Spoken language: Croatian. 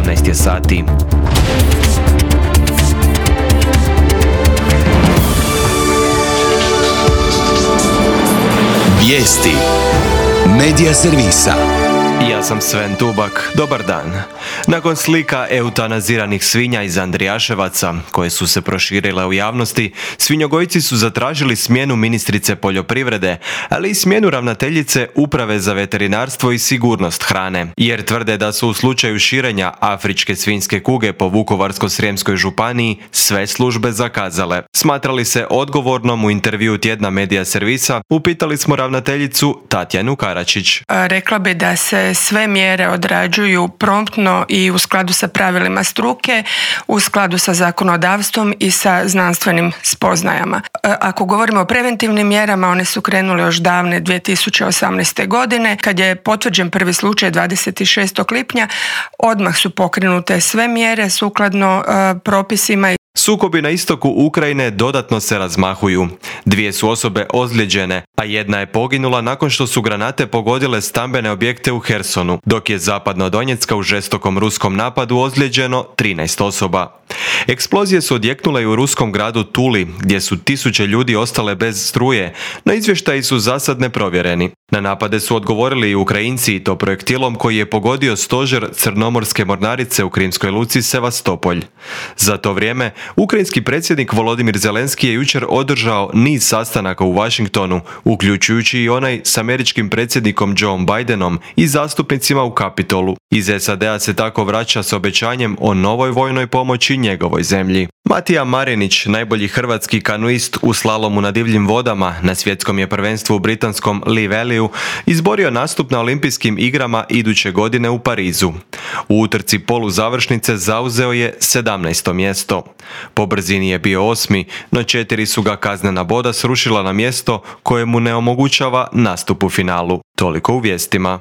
18 je sati. Vijesti Medija servisa. Ja sam Sven Tubak, dobar dan. Nakon slika eutanaziranih svinja iz Andrijaševaca, koje su se proširile u javnosti, svinjogojci su zatražili smjenu ministrice poljoprivrede, ali i smjenu ravnateljice Uprave za veterinarstvo i sigurnost hrane, jer tvrde da su u slučaju širenja afričke svinjske kuge po Vukovarsko-srijemskoj županiji sve službe zakazale. Smatrali se odgovornom u intervjuu tjedna Medija servisa, upitali smo ravnateljicu Tatjanu Karačić. Rekla bi da se sve mjere odrađuju promptno i u skladu sa pravilima struke, u skladu sa zakonodavstvom i sa znanstvenim spoznajama. Ako govorimo o preventivnim mjerama, one su krenule još davne 2018. godine. Kad je potvrđen prvi slučaj 26. lipnja, odmah su pokrenute sve mjere sukladno propisima. Sukobi na istoku Ukrajine dodatno se razmahuju. 2 su osobe ozlijeđene, a 1 je poginula nakon što su granate pogodile stambene objekte u Hersonu, dok je zapadno od Donjecka u žestokom ruskom napadu ozlijeđeno 13 osoba. Eksplozije su odjeknule i u ruskom gradu Tuli, gdje su tisuće ljudi ostale bez struje, no izvještaji su zasad neprovjereni. Na napade su odgovorili i Ukrajinci, i to projektilom koji je pogodio stožer Crnomorske mornarice u krimskoj luci Sevastopolj. Za to vrijeme, ukrajinski predsjednik Volodimir Zelenski je jučer održao niz sastanaka u Washingtonu, uključujući i onaj s američkim predsjednikom Joe Bidenom i zastupnicima u Kapitolu. Iz SAD-a se tako vraća s obećanjem o novoj vojnoj pomoći njegovoj zemlji. Matija Marinić, najbolji hrvatski kanuist u slalomu na divljim vodama na svjetskom je prvenstvu u britanskom Lee Valleyu, izborio nastup na olimpijskim igrama iduće godine u Parizu. U utrci poluzavršnice zauzeo je 17. mjesto. Po brzini je bio 8., no 4 su ga kaznena boda srušila na mjesto koje mu ne omogućava nastup u finalu. Toliko u vijestima.